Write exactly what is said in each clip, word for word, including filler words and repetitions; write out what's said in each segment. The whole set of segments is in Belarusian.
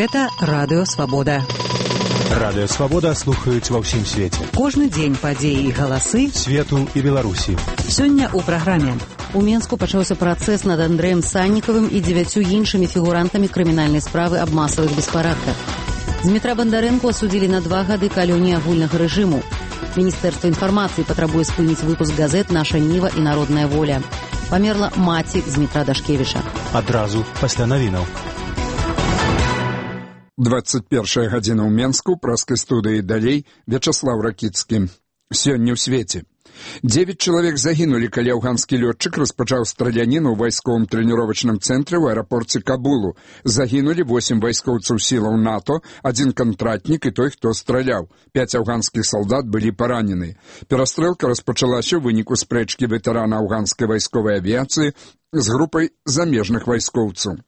Гэта Радыё Свабода. Радыё Свабода слухаюць ва ўсім свеце. Кожны дзень падзеі і галасы свету і Беларусі. Сёння ў праграме. У Менску пачаўся працэс над Андрэем Саннікавым і дзевяццю іншымі фігурантамі крымінальнай справы аб масавых беспарадках. Дмітра Бандарэнку асудзілі на два гады калоніі агульнага рэжыму. Міністэрства інфармацыі патрабуе спыніць выпуск газет «Наша Ніва» і «Народная воля». Памерла маці Дмітра Дашкевіча. Адразу пасля навінаў. двадцать першая гадзіна ў Менску, праскай студыі далей, Вячаслаў Ракіцкі. Сёння ў свеце. Девять чалавек загінулі, калі афганскі лётчык распачаў страляніну ў вайсковым трэніровачным цэнтры ў аэрапорце Кабулу. Загінулі восем вайскоўцаў сілаў НАТО, адзін кантрактнік і той, хто страляў. Пяць афганскіх салдат былі паранены. Перастрэлка распачалася ў выніку спрэчкі ветэрана афганскай вайсковай авіяцыі з групай замежных вайскоўцаў.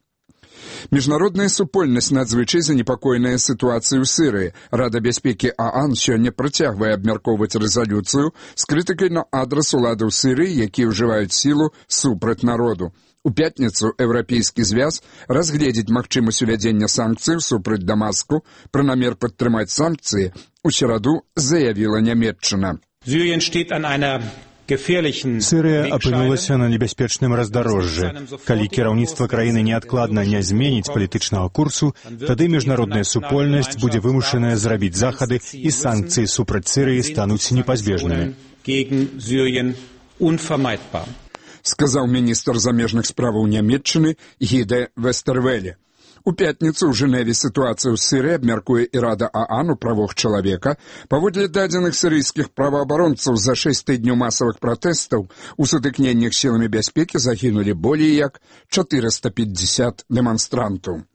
Міжнародная супольнасць надзвычай занепакоеная сітуацыяй у Сірыі. Рада бяспекі ААН сёння працягвае абмяркоўваць рэзалюцыю з крытыкай на адрас уладаў Сірыі, якія ўжываюць сілу супраць народу. У пятніцу Еўрапейскі звяз разгледзіць магчымасць увядзення санкцыяў супраць Дамаску. Пра намер падтрымаць санкцыі у сераду заявіла Нямецчына. Сірыя апынулася на небяспечным раздарожжы. Калі кіраўніцтва краіны неадкладна не зменіць палітычнага курсу, тады міжнародная супольнасць будзе вымушаная зрабіць захады і санкцыі супраць Сірыі стануць непазбежнымі. Сказаў міністр замежных справаў Нямецчыны Гіде Вестэрвеле. У пятніцу ў Жэневе сітуацыю ў Сірыі абмяркуе і Рада ААН у правах чалавека. Паводле дадзеных сірыйскіх праваабаронцаў, за шэсць тыдняў масавых пратэстаў у сутыкненнях сіламі бяспекі загінулі болей як чатырыста пятьдесят дэманстрантаў.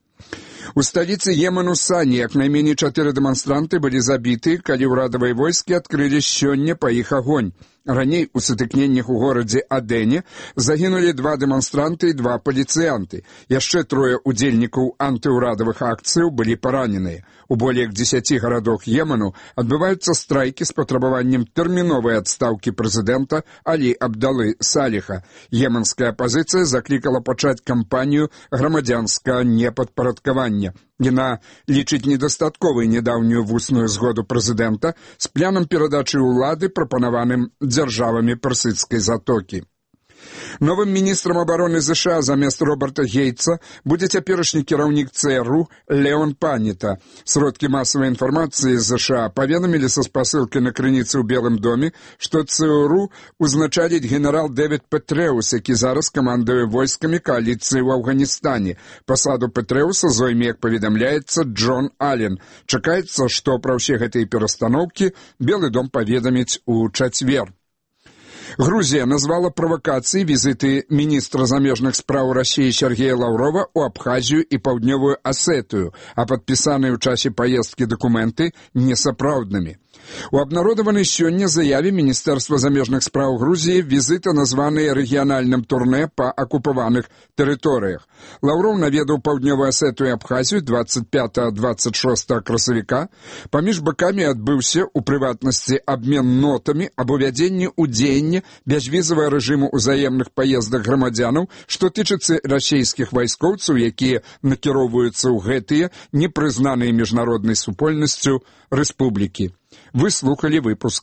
У сталіцы Йемену Сані як найменей чатыры дэманстранты былі забіты, калі ўрадавыя войскі адкрылі сёння па іх агонь. Раней у сутыкненнях у горадзе Адэне загінулі два дэманстранты і два паліцыянты. Яшчэ трое удзельнікаў антыўрадавых акцыяў былі параненыя. У болей як дзесяці гарадах Йемену адбываюцца страйкі з патрабаваннем тэрміновай адстаўкі прэзідэнта Алі Абдалы Саліха. Йеменская апазіцыя заклікала пачаць кампанію грамадзянскага непадпарадкавання. Яна лічыць недастатковай нядаўнюю вусную згоду прэзідэнта з планам перадачы ўлады, прапанаваным дзяржавамі персідскай затокі. Новым міністрам абароны ЗША замест Роберта Гейтса будзе цяперашні кіраўнік ЦРУ Леон Паніта. Сродкі масавай інфармацыі ЗША паведамілі са спасылкай на крыніцы ў Белым доме, што ЦРУ узначаліць генерал Дэвід Петрэус, які зараз камандуе войскамі кааліцыі ў Афганістане. Пасаду Петрэуса зойме, як паведамляецца, Джон Аллен. Чакаецца, што пра ўсе гэтыя перастаноўкі Белы дом паведаміць у чацвер. Грузія назвала правакацыяй візіты міністра замежных спраў Расіі Сергея Лаўрова ў Абхазію і Паўднёвую Асетыю, а падпісаныя ў часе паездкі дакументы несапраўднымі. У абнародаванай сёння заяве Міністэрства замежных спраў Грузіі візіты названыя рэгіянальным турнэ па акупаваных тэрыторыях. Лаўроў наведаў Паўднёвую Асетыю і Абхазію двадцать пятого двадцать шостого красавіка. Паміж бакамі адбыўся, у прыватнасці, абмен нотамі аб увядзенні ў дзеянне бязвізавага рэжыму ўзаемных паездак грамадзянаў, што тычыцца расійскіх вайскоўцаў, якія накіроўваюцца ў гэтыя непрызнаныя міжнароднай супольнасцю рэспублікі. Вы слухали выпуск